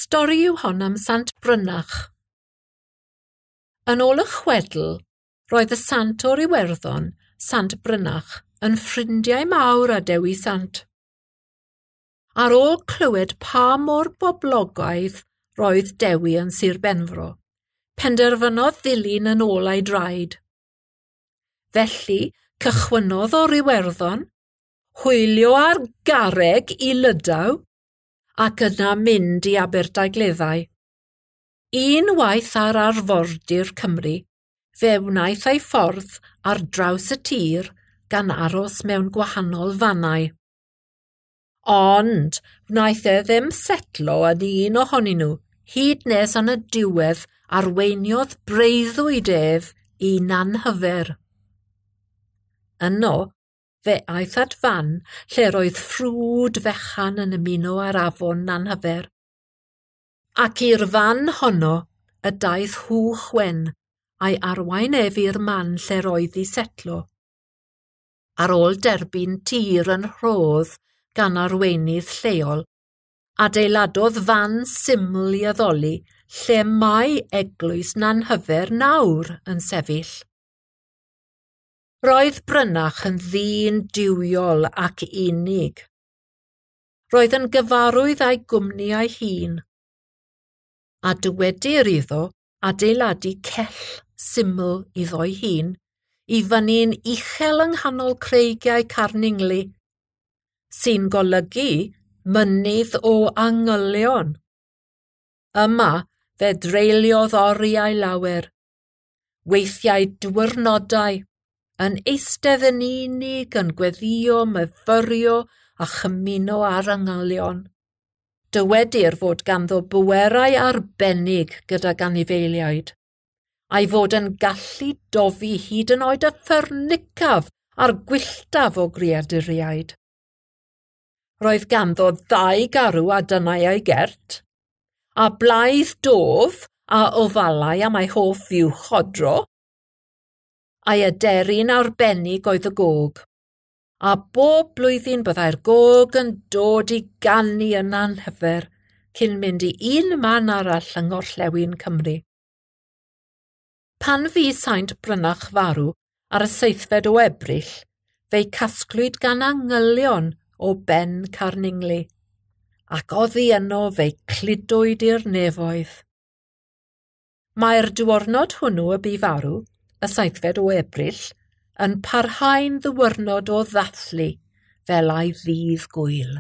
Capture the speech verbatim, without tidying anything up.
Stori yw hon am Sant Brynach. Yn ôl y chwedl, roedd y sant o'r Iwerddon, Sant Brynach, yn ffrindiau mawr â Dewi Sant. Ar ôl clywed pa mor boblogaidd roedd Dewi yn Sir Benfro, penderfynodd ddilyn yn ôl ei draed. Felly, cychwynnodd o'r Iwerddon, hwylio ar garreg i Lydaw, ac yna mynd i Aberdaugleddau. Unwaith ar arfordir Cymru, fe wnaeth ei ffordd ar draws y tir gan aros mewn gwahanol fannau. Ond wnaeth e ddim setlo yn un ohonyn nhw, hyd nes yn y diwedd arweiniodd breuddwyd ef i Nanhyfer. Yno, fe aeth at fan lle roedd ffrwd fechan yn ymuno â'r afon Nanhyfer. Ac i'r fan honno y daeth Hwch Wen a'i arwain ef i'r man lle roedd i setlo. Ar ôl derbyn tir yn rhodd gan arweinydd lleol, adeiladodd fan syml i addoli lle mae eglwys Nanhyfer nawr yn sefyll. Roedd Brynach yn ddyn duwiol ac unig. Roedd yn gyfarwydd â'i gwmni ei hun. A dywedir iddo adeiladu cell syml iddo'i hun i fyny'n uchel yng nghanol creigiau Carningli, sy'n golygu mynydd o angylion. Yma fe dreuliodd oriau lawer, weithiau diwrnodau, yn eistedd yn unig yn gweddïo, myfyrio a chymuno â'r angylion. Dywedir fod ganddo bwerau arbennig gydag anifeiliaid, a'i fod yn gallu dofi hyd yn oed y ffyrnicaf a'r gwylltaf o greaduriaid. Roedd ganddo ddau garw a dynnai ei gert, a blaidd dof a ofalai am ei hoff fuwch odro, a'i aderyn arbennig oedd y gog, a bob blwyddyn byddai'r gog yn dod i ganu yn Nanhyfer cyn mynd i un man arall yng Ngorllewin Cymru. Pan fu Saint Brynach farw ar y seithfed o Ebrill, fe'i casglwyd gan angylion o ben Carningli, ac oddi yno fe'i cludwyd i'r nefoedd. Mae'r diwrnod hwnnw y bu farw, y seithfed o Ebrill, yn parhau'n ddiwrnod o ddathlu fel ei ddydd gŵyl.